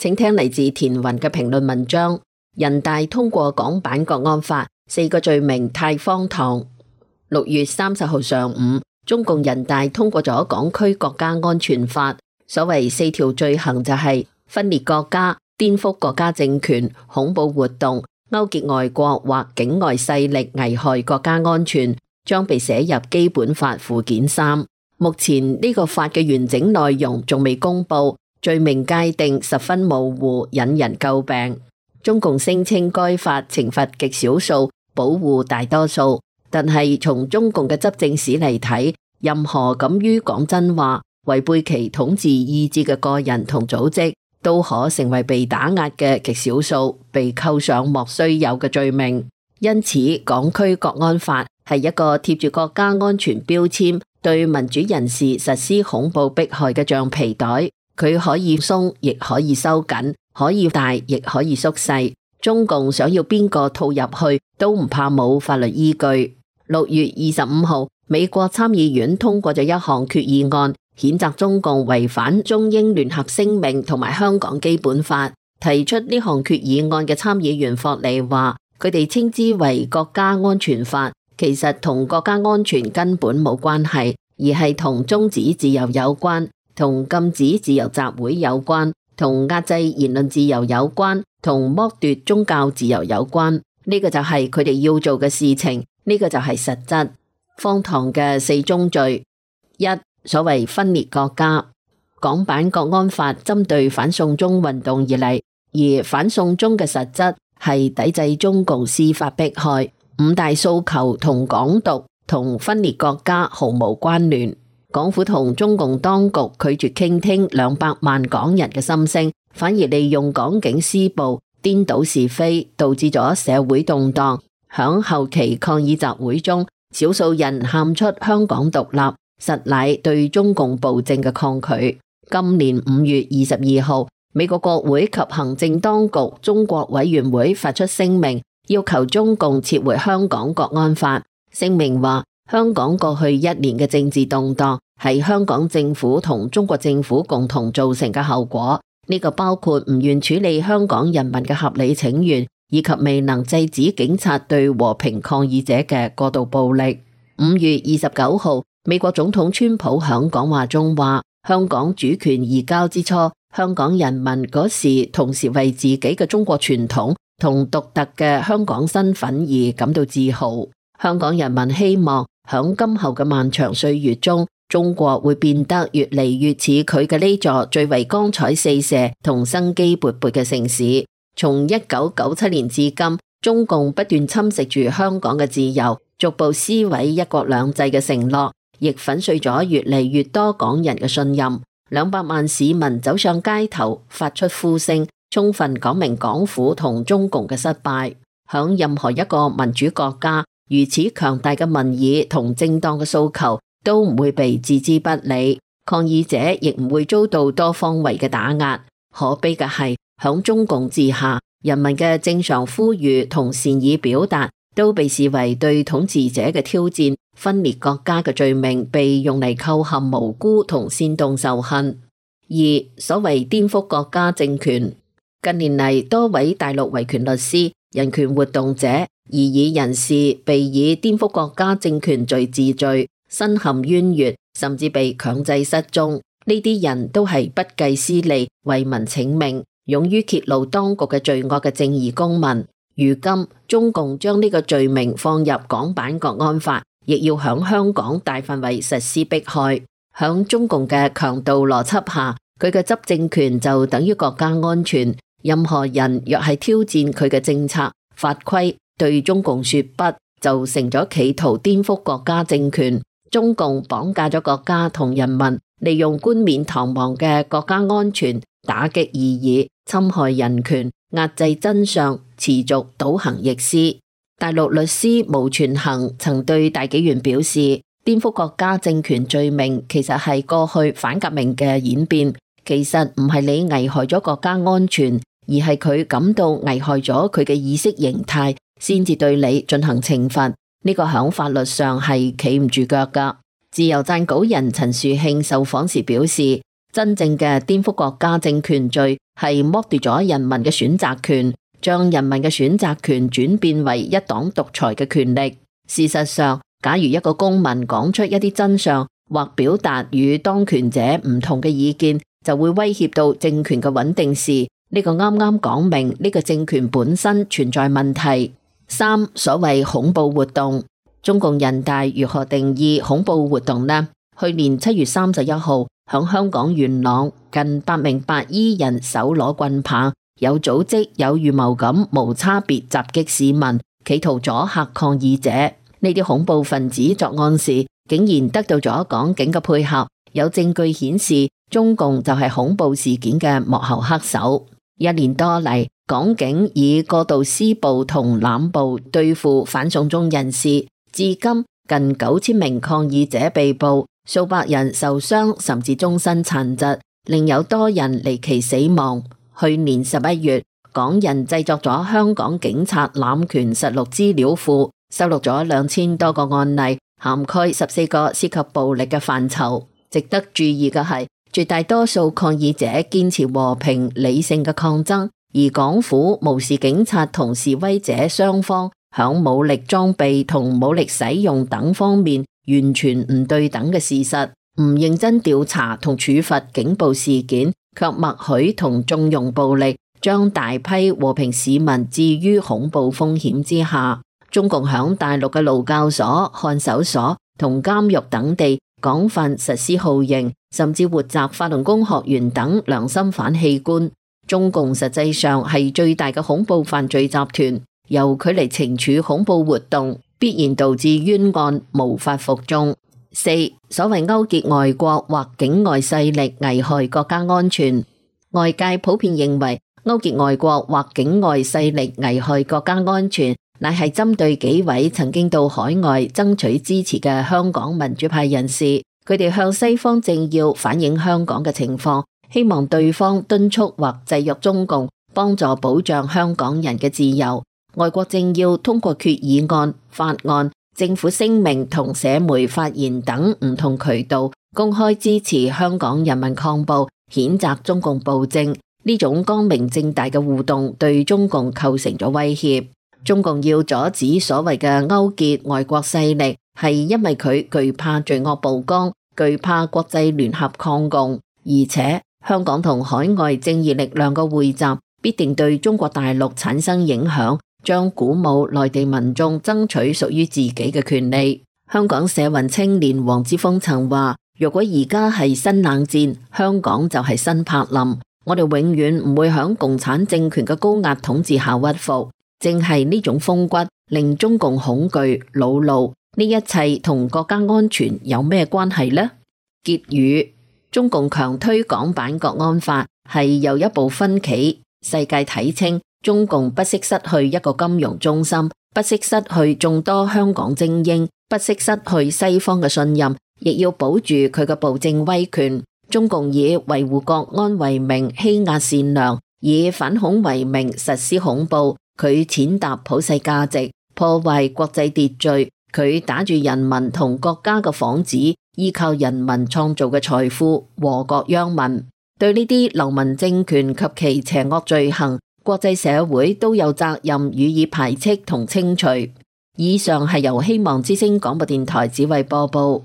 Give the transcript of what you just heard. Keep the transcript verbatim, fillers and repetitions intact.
請聽嚟自田雲嘅評論文章。人大通過港版國安法，四個罪名太荒唐。六月三十號上午，中共人大通過咗港區國家安全法，所謂四條罪行就係分裂國家、顛覆國家政權、恐怖活動、勾結外國或境外勢力危害國家安全，將被寫入基本法附件三。目前呢個法嘅完整內容仲未公布，罪名界定十分模糊，引人詬病。中共聲稱該法懲罰極少數，保護大多數，但係從中共嘅執政史嚟睇，任何敢於講真話、違背其統治意志嘅個人同組織，都可成為被打壓嘅極少數，被扣上莫須有嘅罪名。因此，港區國安法係一個貼住國家安全標籤，對民主人士實施恐怖迫害嘅橡皮袋，佢可以鬆，亦可以收緊。可以大，亦可以縮細。中共想要邊個套入去，都唔怕冇法律依據。六月二十五號，美國參議院通過咗一項決議案，譴責中共違反中英聯合聲明同埋香港基本法。提出呢項決議案嘅參議員霍利話，佢哋稱之為國家安全法，其實同國家安全根本冇關係，而係同終止自由有關，同禁止自由集會有關，同壓制言論自由有關，同剝奪宗教自由有關。呢個就係佢哋要做嘅事情，呢個就係實質。荒唐嘅四宗罪：一、所謂分裂國家。港版國安法針對反送中運動而嚟，而反送中嘅實質係抵制中共司法迫害。五大訴求同港獨同分裂國家毫無關聯。港府同中共當局拒絕傾聽兩百萬港人嘅心聲，反而利用港警施暴，顛倒是非，導致咗社會動盪。響後期抗議集會中，少數人喊出香港獨立，實乃對中共暴政嘅抗拒。今年五月二十二號，美國國會及行政當局中國委員會發出聲明，要求中共撤回香港國安法。聲明話，香港過去一年嘅政治動盪係香港政府同中國政府共同造成嘅後果，呢個包括唔願處理香港人民嘅合理請願，以及未能制止警察對和平抗議者嘅過度暴力。五月二十九號，美國總統川普響講話中話，香港主權移交之初，香港人民嗰時同時為自己嘅中國傳統同獨特嘅香港身份而感到自豪。香港人民希望響今後嘅漫長歲月中，中國會變得越嚟越似佢嘅呢座最為光彩四射同生機勃勃嘅城市。從一九九七年至今，中共不斷侵蝕住香港嘅自由，逐步撕毀一國兩制嘅承諾，亦粉碎咗越嚟越多港人嘅信任。兩百萬市民走上街頭，發出呼聲，充分講明港府同中共嘅失敗。響任何一個民主國家，如此強大嘅民意同正當嘅訴求都唔會被置之不理，抗議者亦唔會遭到多方位嘅打壓。可悲嘅係，響中共治下，人民嘅正常呼籲同善意表達都被視為對統治者嘅挑戰，分裂國家嘅罪名被用嚟構陷無辜同煽動仇恨。二、所謂顛覆國家政權。近年嚟，多位大陸維權律師、人權活動者、異議人士被以顛覆國家政權罪治罪，身陷冤獄，甚至被強制失蹤。呢啲人都係不計私利、為民請命、勇於揭露當局嘅罪惡嘅正義公民。如今中共將呢個罪名放入港版國安法，亦要響香港大範圍實施迫害。響中共嘅強盜邏輯下，佢嘅執政權就等於國家安全。任何人若係挑戰佢嘅政策法規，對中共說不，就成咗企圖顛覆國家政權。中共綁架咗國家同人民，利用冠冕堂皇嘅國家安全打擊異議，侵害人權，壓制真相，持續倒行逆施。大陸律師毛全行曾對大紀元表示，顛覆國家政權罪名其實係過去反革命嘅演變，其實唔係你危害咗國家安全，而係佢感到危害咗佢嘅意識形態，先至對你進行懲罰。呢、這個響法律上係企唔住腳噶。自由撰稿人陳樹慶受訪時表示，真正嘅顛覆國家政權罪係剝奪咗人民嘅選擇權，將人民嘅選擇權轉變為一黨獨裁嘅權力。事實上，假如一個公民講出一啲真相，或表達與當權者唔同嘅意見，就會威脅到政權嘅穩定時，呢個啱啱講明呢個政權本身存在問題。三、所謂恐怖活動，中共人大如何定義恐怖活動呢？去年七月三十一號，響香港元朗，近百名白衣人手攞棍棒，有組織有預謀咁無差別襲擊市民，企圖阻嚇抗議者。呢啲恐怖分子作案時，竟然得到咗港警嘅配合，有證據顯示中共就係恐怖事件嘅幕後黑手。一年多嚟，港警以過度施暴同濫捕對付反送中人士，至今近九千名抗議者被捕，數百人受傷甚至終身殘疾，另有多人離奇死亡。去年十一月，港人製作咗香港警察濫權實錄資料庫，收錄咗兩千多個案例，涵蓋十四個涉及暴力嘅範疇。值得注意嘅係，絕大多數抗議者堅持和平理性嘅抗爭，而港府無視警察同示威者雙方響武力裝備同武力使用等方面完全唔對等嘅事實，唔認真調查同處罰警暴事件，卻默許同縱容暴力，將大批和平市民置於恐怖風險之下。中共響大陸嘅勞教所、看守所同監獄等地廣泛實施酷刑，甚至活摘法輪功學員等良心犯器官。中共實際上係最大嘅恐怖犯罪集團，由佢嚟懲處恐怖活動，必然導致冤案無法服眾。四、所謂勾結外國或境外勢力危害國家安全，外界普遍認為勾結外國或境外勢力危害國家安全，乃係針對幾位曾經到海外爭取支持嘅香港民主派人士，佢哋向西方政要反映香港嘅情況，希望對方敦促或制約中共，幫助保障香港人嘅自由。外國政要通過決議案、法案、政府聲明同社媒發言等唔同渠道，公開支持香港人民抗暴，譴責中共暴政。呢種光明正大嘅互動對中共構成咗威脅。中共要阻止所謂嘅勾結外國勢力，係因為佢懼怕罪惡曝光，懼怕國際聯合抗共，而且香港同海外正義力量嘅匯集必定對中國大陸產生影響，將鼓舞內地民眾爭取屬於自己嘅權利。香港社運青年黃之鋒曾話：如果而家係新冷戰，香港就係新柏林，我哋永遠唔會響共產政權嘅高壓統治下屈服。正係呢種風骨令中共恐懼惱怒，呢一切同國家安全有咩關係呢？結語：中共強推港版國安法係又一步分歧，世界睇清中共不惜失去一個金融中心，不惜失去眾多香港精英，不惜失去西方嘅信任，亦要保住佢嘅暴政威權。中共以維護國安為名欺壓善良，以反恐為名實施恐怖。佢踐踏普世價值，破壞國際秩序，佢打住人民同國家嘅幌子，依靠人民創造嘅財富，禍國殃民。對呢啲流氓政權及其邪惡罪行，國際社會都有責任予以排斥同清除。以上係由希望之聲廣播電台指揮播報。